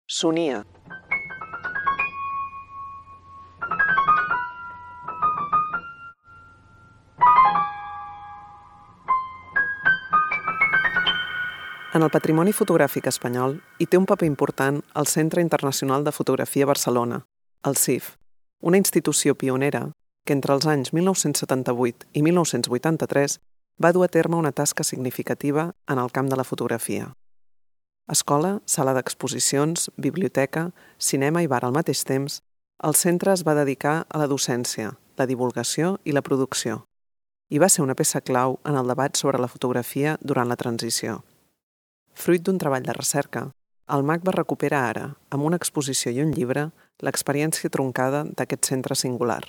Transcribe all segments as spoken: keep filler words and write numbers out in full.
Sonia. En el patrimoni fotogràfic espanyol hi té un paper important el Centre Internacional de Fotografia Barcelona, el C I F, una institució pionera que entre els anys mil nou-cents setanta-vuit i mil nou-cents vuitanta-tres va dur a terme una tasca significativa en el camp de la fotografia. Escola, sala d'exposicions, biblioteca, cinema i bar al mateix temps, el centre es va dedicar a la docència, la divulgació i la producció, i va ser una peça clau en el debat sobre la fotografia durant la transició. Fruit d'un treball de recerca, el MACBA recupera ara, amb una exposició i un llibre, l'experiència truncada d'aquest centre singular.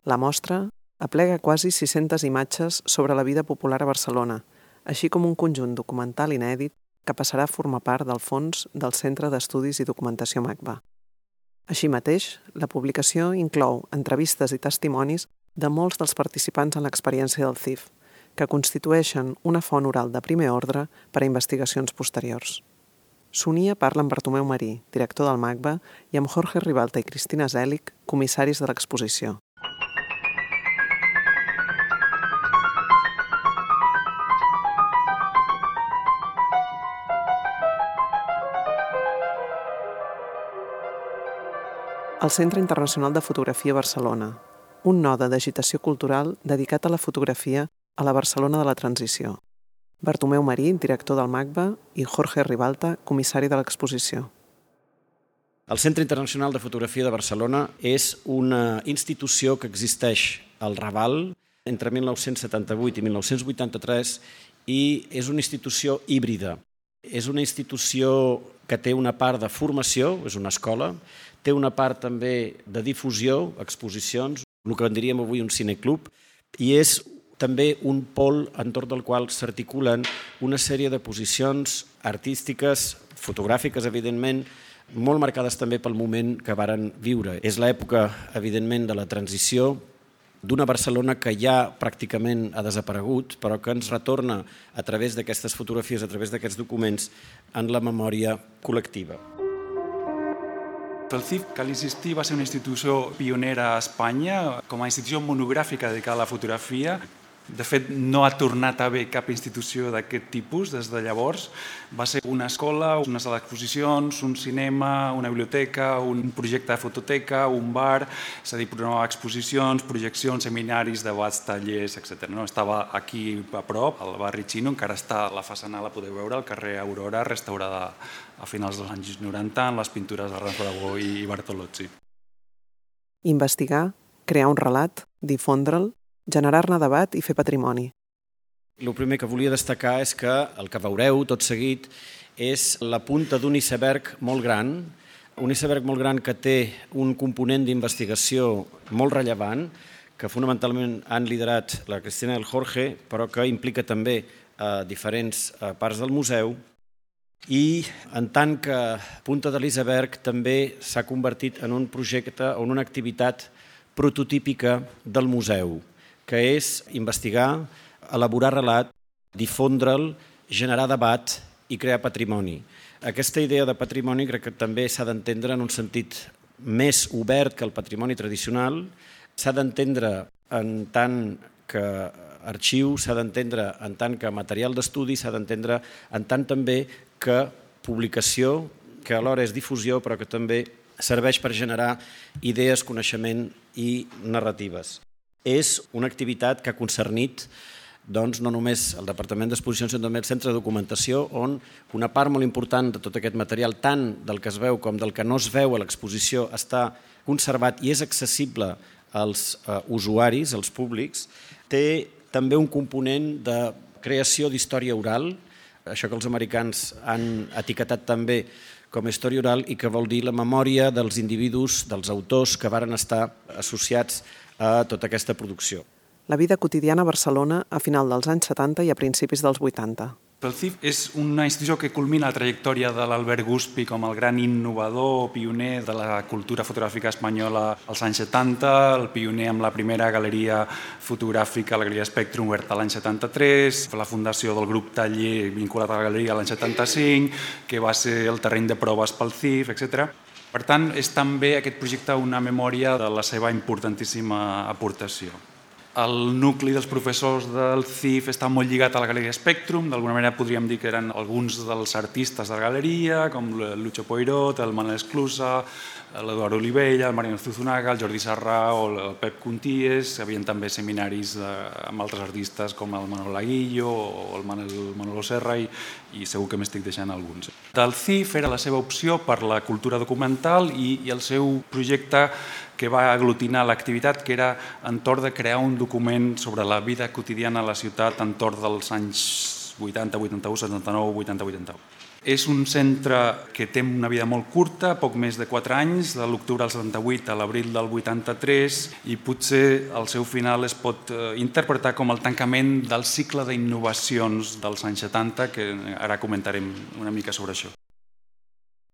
La mostra aplega quasi sis-centes imatges sobre la vida popular a Barcelona, així com un conjunt documental inèdit que passarà a formar part del fons del Centre d'Estudis i Documentació MACBA. Així mateix, la publicació inclou entrevistes i testimonis de molts dels participants en l'experiència del C I F, que constitueixen una font oral de primer ordre per a investigacions posteriors. Sonia parla amb Bartomeu Marí, director del MACBA, i amb Jorge Ribalta i Cristina Zèlic, comissaris de l'exposició. El Centre Internacional de Fotografia Barcelona, un node d'agitació cultural dedicat a la fotografia a la Barcelona de la transició. Bartomeu Marí, director del MACBA, i Jorge Ribalta, comissari de l'exposició. El Centre Internacional de Fotografia de Barcelona és una institució que existeix al Raval entre mil nou-cents setanta-vuit i mil nou-cents vuitanta-tres i és una institució híbrida. És una institució que té una part de formació, és una escola, té una part també de difusió, exposicions, el que en diríem avui un cineclub, i és també un pol entorn del qual s'articulen una sèrie de posicions artístiques, fotogràfiques, evidentment, molt marcades també pel moment que varen viure. És l'època, evidentment, de la transició d'una Barcelona que ja pràcticament ha desaparegut, però que ens retorna a través d'aquestes fotografies, a través d'aquests documents, en la memòria col·lectiva. El C I F, cal insistir, va ser una institució pionera a Espanya com a institució monogràfica dedicada a la fotografia. De fet, no ha tornat a haver cap institució d'aquest tipus des de llavors. Va ser una escola, una sala d'exposicions, un cinema, una biblioteca, un projecte de fototeca, un bar, és a dir, programava exposicions, projeccions, seminaris, debats, tallers, etcètera. No? Estava aquí a prop, al barri Xino, encara està a la façana, la podeu veure, al carrer Aurora, restaurada a finals dels anys noranta, en les pintures de Ramon Aragó i Bartolozzi. Investigar, crear un relat, difondre'l, generar-ne debat i fer patrimoni. El primer que volia destacar és que el que veureu tot seguit és la punta d'un iceberg molt gran, un iceberg molt gran que té un component d'investigació molt rellevant, que fonamentalment han liderat la Cristina i el Jorge, però que implica també a diferents parts del museu, i en tant que punta de l'iceberg també s'ha convertit en un projecte o en una activitat prototípica del museu, que és investigar, elaborar relat, difondre'l, generar debat i crear patrimoni. Aquesta idea de patrimoni crec que també s'ha d'entendre en un sentit més obert que el patrimoni tradicional, s'ha d'entendre en tant que arxiu, s'ha d'entendre en tant que material d'estudi, s'ha d'entendre en tant també que publicació, que alhora és difusió, però que també serveix per generar idees, coneixement i narratives. És una activitat que ha concernit doncs, no només el Departament d'Exposicions, sinó també el Centre de Documentació, on una part molt important de tot aquest material, tant del que es veu com del que no es veu a l'exposició, està conservat i és accessible als uh, usuaris, als públics. Té també un component de creació d'història oral, això que els americans han etiquetat també com a història oral i que vol dir la memòria dels individus, dels autors que varen estar associats a tota aquesta producció. La vida quotidiana a Barcelona a final dels anys setanta i a principis dels vuitanta. El C I F és una institució que culmina la trajectòria de l'Albert Guspi com el gran innovador, pioner de la cultura fotogràfica espanyola als anys setanta, el pioner amb la primera galeria fotogràfica, la Galeria Spectrum, oberta l'any setanta-tres, la fundació del grup Taller vinculat a la galeria l'any setanta-cinc, que va ser el terreny de proves pel C I F, etcètera. Per tant, és també aquest projecte una memòria de la seva importantíssima aportació. El nucli dels professors del C I F està molt lligat a la Galeria Spectrum, d'alguna manera podríem dir que eren alguns dels artistes de la galeria, com el Lucho Poirot, el Manel Esclusa, l'Eduard Olivella, el Mariano Zuzunaga, el Jordi Sarrà o el Pep Conties. Hi havia també seminaris amb altres artistes com el Manuel Aguillo o el Manolo Serra i, i segur que m'estic deixant alguns. Del C I F era la seva opció per la cultura documental i, i el seu projecte que va aglutinar l'activitat, que era entorn de crear un document sobre la vida quotidiana a la ciutat entorn dels anys vuitanta, vuitanta-u, setanta-nou, vuitanta, vuitanta-u. És un centre que té una vida molt curta, poc més de quatre anys, de l'octubre del setanta-vuit a l'abril del vuitanta-tres, i potser el seu final es pot interpretar com el tancament del cicle d'innovacions dels anys setanta, que ara comentarem una mica sobre això.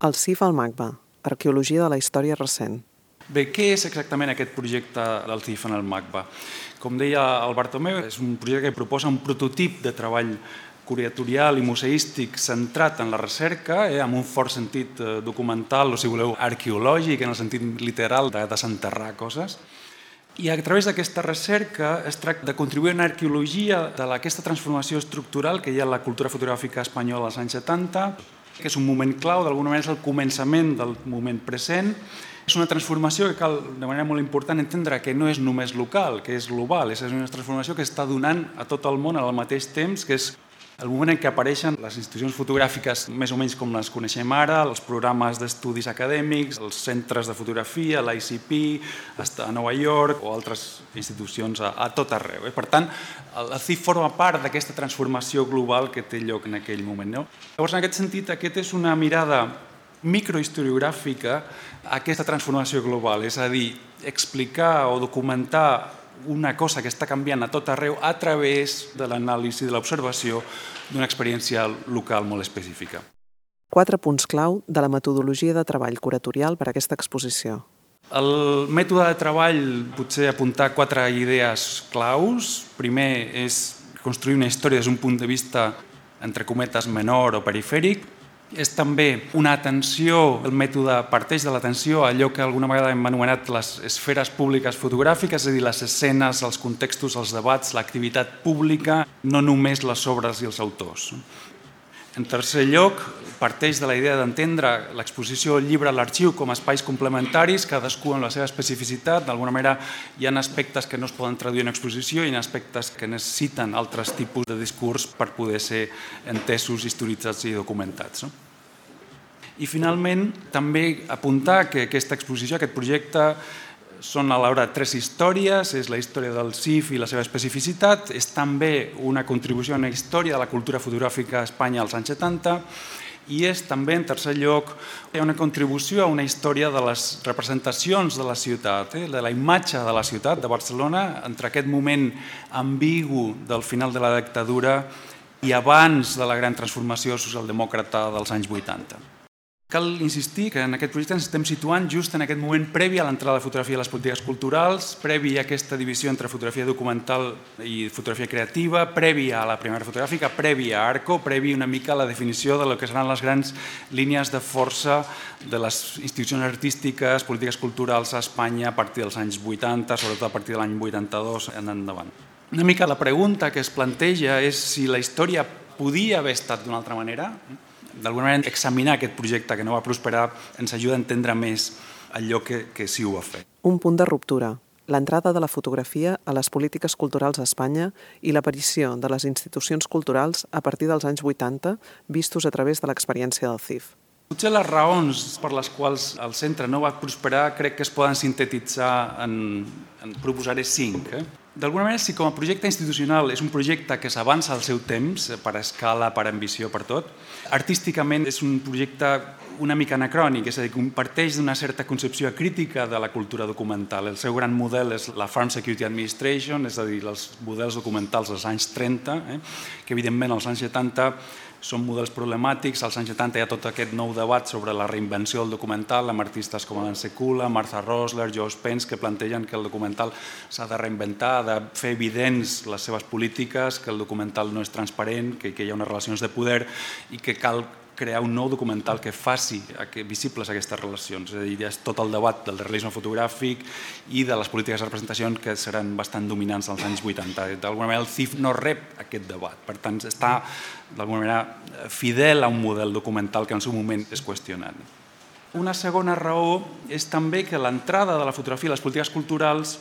El C I F al MACBA, arqueologia de la història recent. Bé, què és exactament aquest projecte del C I F en el MACBA? Com deia el Bartomeu, és un projecte que proposa un prototip de treball curatorial i museístic centrat en la recerca, eh, amb un fort sentit documental, o si voleu, arqueològic, en el sentit literal de desenterrar coses. I a través d'aquesta recerca es tracta de contribuir a una arqueologia d'aquesta transformació estructural que hi ha a la cultura fotogràfica espanyola als anys setanta, que és un moment clau, d'alguna manera és el començament del moment present. És una transformació que cal, de manera molt important, entendre que no és només local, que és global. És una transformació que està donant a tot el món al mateix temps, que és el moment en què apareixen les institucions fotogràfiques més o menys com les coneixem ara, els programes d'estudis acadèmics, els centres de fotografia, l'I C P, a Nova York o altres institucions a, a tot arreu. Per tant, el C I F forma part d'aquesta transformació global que té lloc en aquell moment. No? Llavors, en aquest sentit, aquest és una mirada microhistoriogràfica a aquesta transformació global, és a dir, explicar o documentar una cosa que està canviant a tot arreu a través de l'anàlisi, de l'observació d'una experiència local molt específica. Quatre punts clau de la metodologia de treball curatorial per a aquesta exposició. El mètode de treball, potser apuntar quatre idees claus. Primer és construir una història des d'un punt de vista, entre cometes, menor o perifèric. És també una atenció, el mètode parteix de l'atenció a allò que alguna vegada hem anomenat les esferes públiques fotogràfiques, és a dir, les escenes, els contextos, els debats, l'activitat pública, no només les obres i els autors. En tercer lloc, parteix de la idea d'entendre l'exposició llibre a l'arxiu com a espais complementaris, cadascú amb la seva especificitat. D'alguna manera hi ha aspectes que no es poden traduir en exposició i hi ha aspectes que necessiten altres tipus de discurs per poder ser entesos, historitzats i documentats. I finalment, també apuntar que aquesta exposició, aquest projecte, són alhora tres històries, és la història del C I F i la seva especificitat, és també una contribució a una història de la cultura fotogràfica a Espanya als anys setanta i és també, en tercer lloc, una contribució a una història de les representacions de la ciutat, eh? de la imatge de la ciutat de Barcelona entre aquest moment ambigu del final de la dictadura i abans de la gran transformació socialdemòcrata dels anys vuitanta. Cal insistir que en aquest projecte ens estem situant just en aquest moment previ a l'entrada de fotografia a les polítiques culturals, previ a aquesta divisió entre fotografia documental i fotografia creativa, previ a la primera fotogràfica, previ a Arco, previ una mica a la definició de lo que seran les grans línies de força de les institucions artístiques, polítiques culturals a Espanya a partir dels anys vuitanta, sobretot a partir de l'any vuitanta-dos en endavant. Una mica la pregunta que es planteja és si la història podia haver estat d'una altra manera. D'alguna manera, examinar aquest projecte que no va prosperar ens ajuda a entendre més allò que, que sí ho va fer. Un punt de ruptura, l'entrada de la fotografia a les polítiques culturals a Espanya i l'aparició de les institucions culturals a partir dels anys vuitanta, vistos a través de l'experiència del C I F. Potser les raons per les quals el centre no va prosperar crec que es poden sintetitzar en, en proposaré cinc. Eh? D'alguna manera, si com a projecte institucional és un projecte que s'avança al seu temps, per escala, per ambició, per tot, artísticament és un projecte una mica anacrònic, és a dir, que parteix d'una certa concepció crítica de la cultura documental. El seu gran model és la Farm Security Administration, és a dir, els models documentals dels anys trenta, eh, que evidentment als anys setanta són models problemàtics. Als anys setanta hi ha tot aquest nou debat sobre la reinvenció del documental, amb artistes com Alan Sekula, Martha Rosler, Joe Spence, que plantegen que el documental s'ha de reinventar, ha de fer evidents les seves polítiques, que el documental no és transparent, que, que hi ha unes relacions de poder i que cal crear un nou documental que faci visibles aquestes relacions. És a dir, és tot el debat del realisme fotogràfic i de les polítiques de representació que seran bastant dominants als anys vuitanta. D'alguna manera el C I F no rep aquest debat, per tant està d'alguna manera fidel a un model documental que en el seu moment és qüestionat. Una segona raó és també que l'entrada de la fotografia i les polítiques culturals,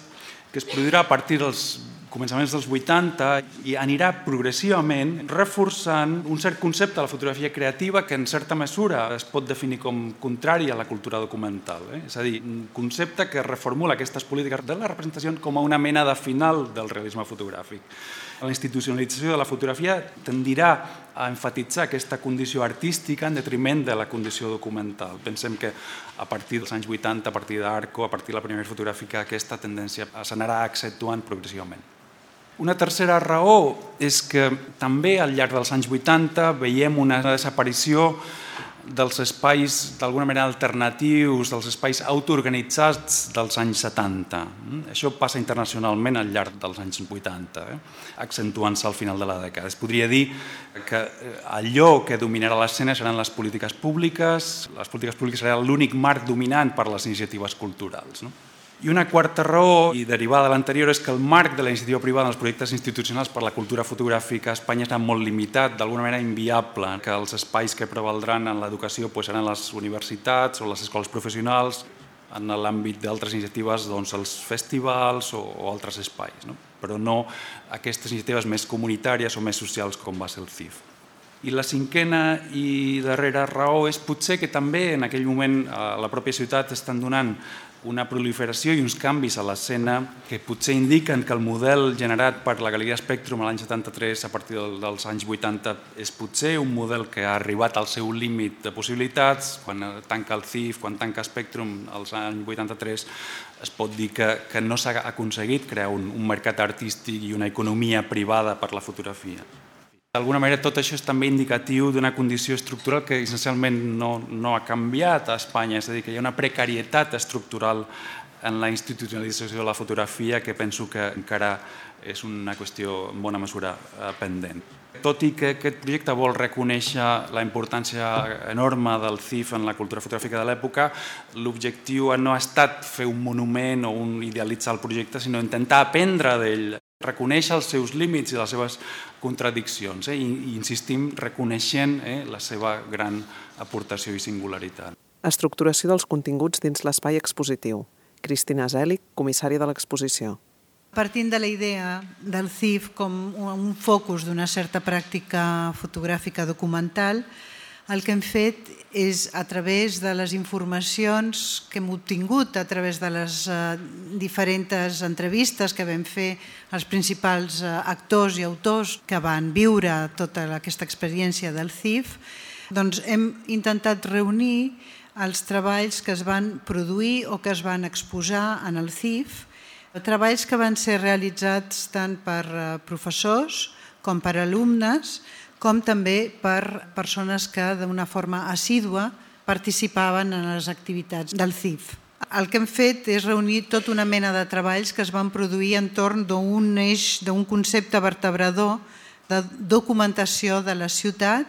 que es produirà a partir dels començaments dels vuitanta, i anirà progressivament reforçant un cert concepte de la fotografia creativa que en certa mesura es pot definir com contrari a la cultura documental. Eh? És a dir, un concepte que reformula aquestes polítiques de la representació com a una mena de final del realisme fotogràfic. La institucionalització de la fotografia tendirà a enfatitzar aquesta condició artística en detriment de la condició documental. Pensem que a partir dels anys vuitanta, a partir d'Arco, a partir de la primera fotogràfica, aquesta tendència s'anarà accentuant progressivament. Una tercera raó és que també al llarg dels anys vuitanta veiem una desaparició dels espais d'alguna manera alternatius, dels espais autoorganitzats dels anys setanta. Això passa internacionalment al llarg dels anys vuitanta, eh? accentuant-se al final de la dècada. Es podria dir que allò que dominarà l'escena seran les polítiques públiques, les polítiques públiques serà l'únic marc dominant per a les iniciatives culturals. No? I una quarta raó, i derivada de l'anterior, és que el marc de la iniciativa privada en els projectes institucionals per a la cultura fotogràfica a Espanya està molt limitat, d'alguna manera inviable, que els espais que prevaldran en l'educació seran les universitats o les escoles professionals, en l'àmbit d'altres iniciatives doncs, els festivals o, o altres espais, no? Però no aquestes iniciatives més comunitàries o més socials com va ser el C I F. I la cinquena i darrera raó és potser que també en aquell moment a la pròpia ciutat estan donant una proliferació i uns canvis a l'escena que potser indiquen que el model generat per la Galeria Spectrum l'any setanta-tres a partir dels anys vuitanta és potser un model que ha arribat al seu límit de possibilitats. Quan tanca el C I F, quan tanca Spectrum als anys vuitanta-tres, es pot dir que, que no s'ha aconseguit crear un, un mercat artístic i una economia privada per la fotografia. D'alguna manera, tot això és també indicatiu d'una condició estructural que essencialment no, no ha canviat a Espanya, és a dir, que hi ha una precarietat estructural en la institucionalització de la fotografia que penso que encara és una qüestió en bona mesura pendent. Tot i que aquest projecte vol reconèixer la importància enorme del C I F en la cultura fotogràfica de l'època, l'objectiu no ha estat fer un monument o un idealitzar el projecte, sinó intentar aprendre d'ell, reconèixer els seus límits i les seves contradiccions, eh? I insistim reconeixent eh, la seva gran aportació i singularitat. Estructuració dels continguts dins l'espai expositiu. Cristina Zèlic, comissària de l'exposició. Partint de la idea del C I F com un focus d'una certa pràctica fotogràfica documental, el que hem fet és, a través de les informacions que hem obtingut, a través de les diferents entrevistes que vam fer als principals actors i autors que van viure tota aquesta experiència del C I F, doncs hem intentat reunir els treballs que es van produir o que es van exposar en el C I F, treballs que van ser realitzats tant per professors com per alumnes, com també per persones que d'una forma assídua participaven en les activitats del C I F. El que hem fet és reunir tota una mena de treballs que es van produir entorn d'un eix, d'un concepte vertebrador de documentació de la ciutat,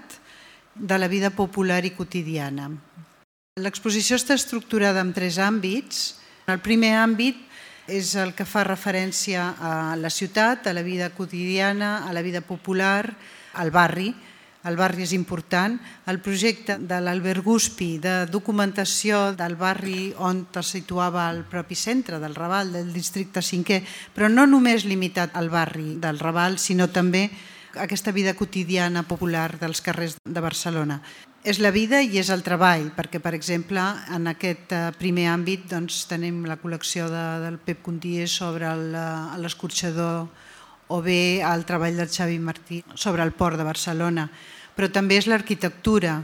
de la vida popular i quotidiana. L'exposició està estructurada en tres àmbits. El primer àmbit és el que fa referència a la ciutat, a la vida quotidiana, a la vida popular, al barri. El barri és important. El projecte de l'Albert Guspi de documentació del barri on es situava el propi centre del Raval, del districte cinquè, però no només limitat al barri del Raval, sinó també aquesta vida quotidiana popular dels carrers de Barcelona. És la vida i és el treball, perquè, per exemple, en aquest primer àmbit doncs, tenim la col·lecció de, del Pep Contier sobre l'escorxador o bé el treball del Xavi Martí sobre el port de Barcelona, però també és l'arquitectura.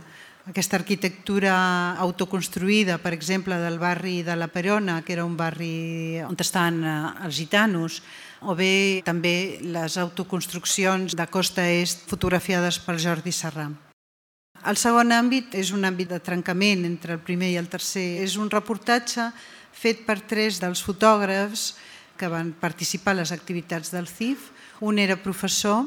aquesta arquitectura autoconstruïda, per exemple, del barri de la Perona, que era un barri on estan els gitanos, o bé també les autoconstruccions de costa est fotografiades pel Jordi Serrà. El segon àmbit és un àmbit de trencament entre el primer i el tercer. És un reportatge fet per tres dels fotògrafs que van participar a les activitats del C I F. Un era professor,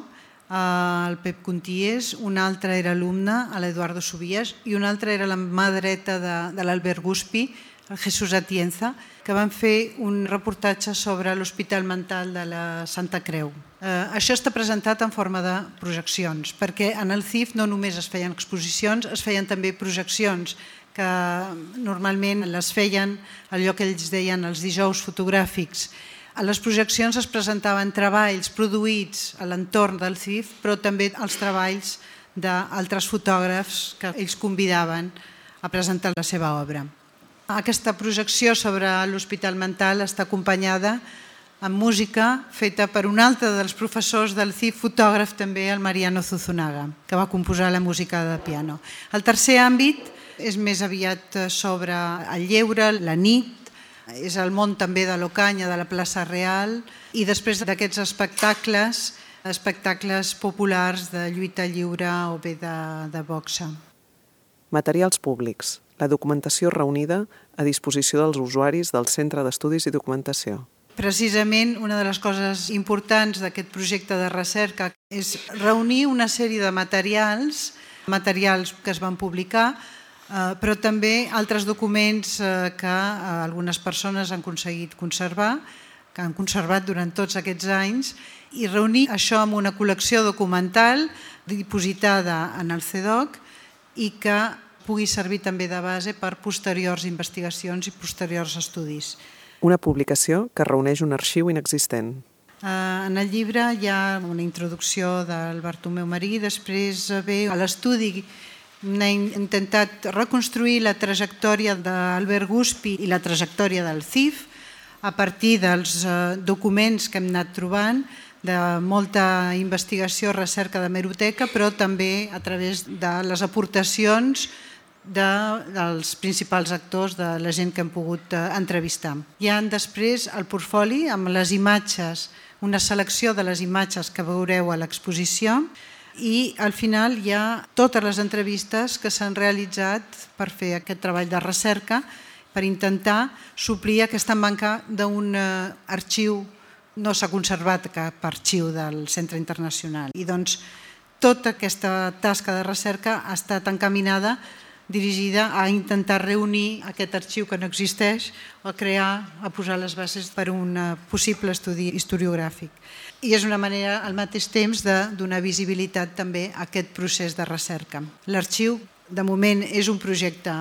el Pep Conties, un altre era alumne, l'Eduardo Subias, i un altre era la mà dreta de, de l'Albert Guspi, el Jesús Atienza, que van fer un reportatge sobre l'Hospital Mental de la Santa Creu. Eh, això està presentat en forma de projeccions, perquè en el C I F no només es feien exposicions, es feien també projeccions, que normalment les feien allò que ells deien els dijous fotogràfics. A les projeccions es presentaven treballs produïts a l'entorn del C I F, però també els treballs d'altres fotògrafs que ells convidaven a presentar la seva obra. Aquesta projecció sobre l'Hospital Mental està acompanyada amb música feta per un altre dels professors del C I F, fotògraf també, el Mariano Zuzunaga, que va composar la música de piano. El tercer àmbit és més aviat sobre el lleure, la nit, és el món també de l'Ocanya, de la plaça Real, i després d'aquests espectacles, espectacles populars de lluita lliure o bé de, de boxa. Materials públics. La documentació reunida a disposició dels usuaris del Centre d'Estudis i Documentació. Precisament una de les coses importants d'aquest projecte de recerca és reunir una sèrie de materials, materials que es van publicar, però també altres documents que algunes persones han aconseguit conservar, que han conservat durant tots aquests anys, i reunir això amb una col·lecció documental dipositada en el C E D O C i que pugui servir també de base per posteriors investigacions i posteriors estudis. Una publicació que reuneix un arxiu inexistent. En el llibre hi ha una introducció del Bartomeu Marí, després ve a l'estudi. Hem intentat reconstruir la trajectòria d'Albert Guspi i la trajectòria del C I F a partir dels documents que hem anat trobant, de molta investigació, recerca d'hemeroteca, però també a través de les aportacions dels principals actors, de la gent que hem pogut entrevistar. Hi ha després el portfoli amb les imatges, una selecció de les imatges que veureu a l'exposició, i al final hi ha totes les entrevistes que s'han realitzat per fer aquest treball de recerca, per intentar suplir aquesta manca d'un arxiu. No s'ha conservat cap arxiu del Centre Internacional. I doncs tota aquesta tasca de recerca ha estat encaminada, dirigida a intentar reunir aquest arxiu que no existeix o a crear, a posar les bases per a un possible estudi historiogràfic. I és una manera, al mateix temps, de donar visibilitat també a aquest procés de recerca. L'arxiu, de moment, és un projecte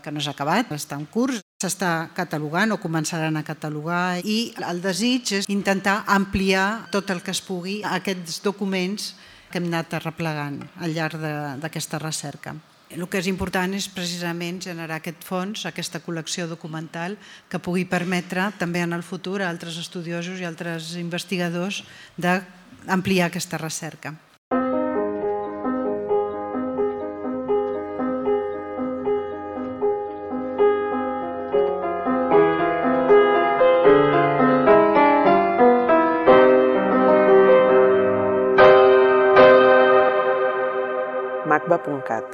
que no s'ha acabat, està en curs, s'està catalogant o començaran a catalogar, i el desig és intentar ampliar tot el que es pugui aquests documents que hem anat arreplegant al llarg d'aquesta recerca. El que és important és precisament generar aquest fons, aquesta col·lecció documental que pugui permetre també en el futur a altres estudiosos i altres investigadors d'ampliar aquesta recerca. macba punt cat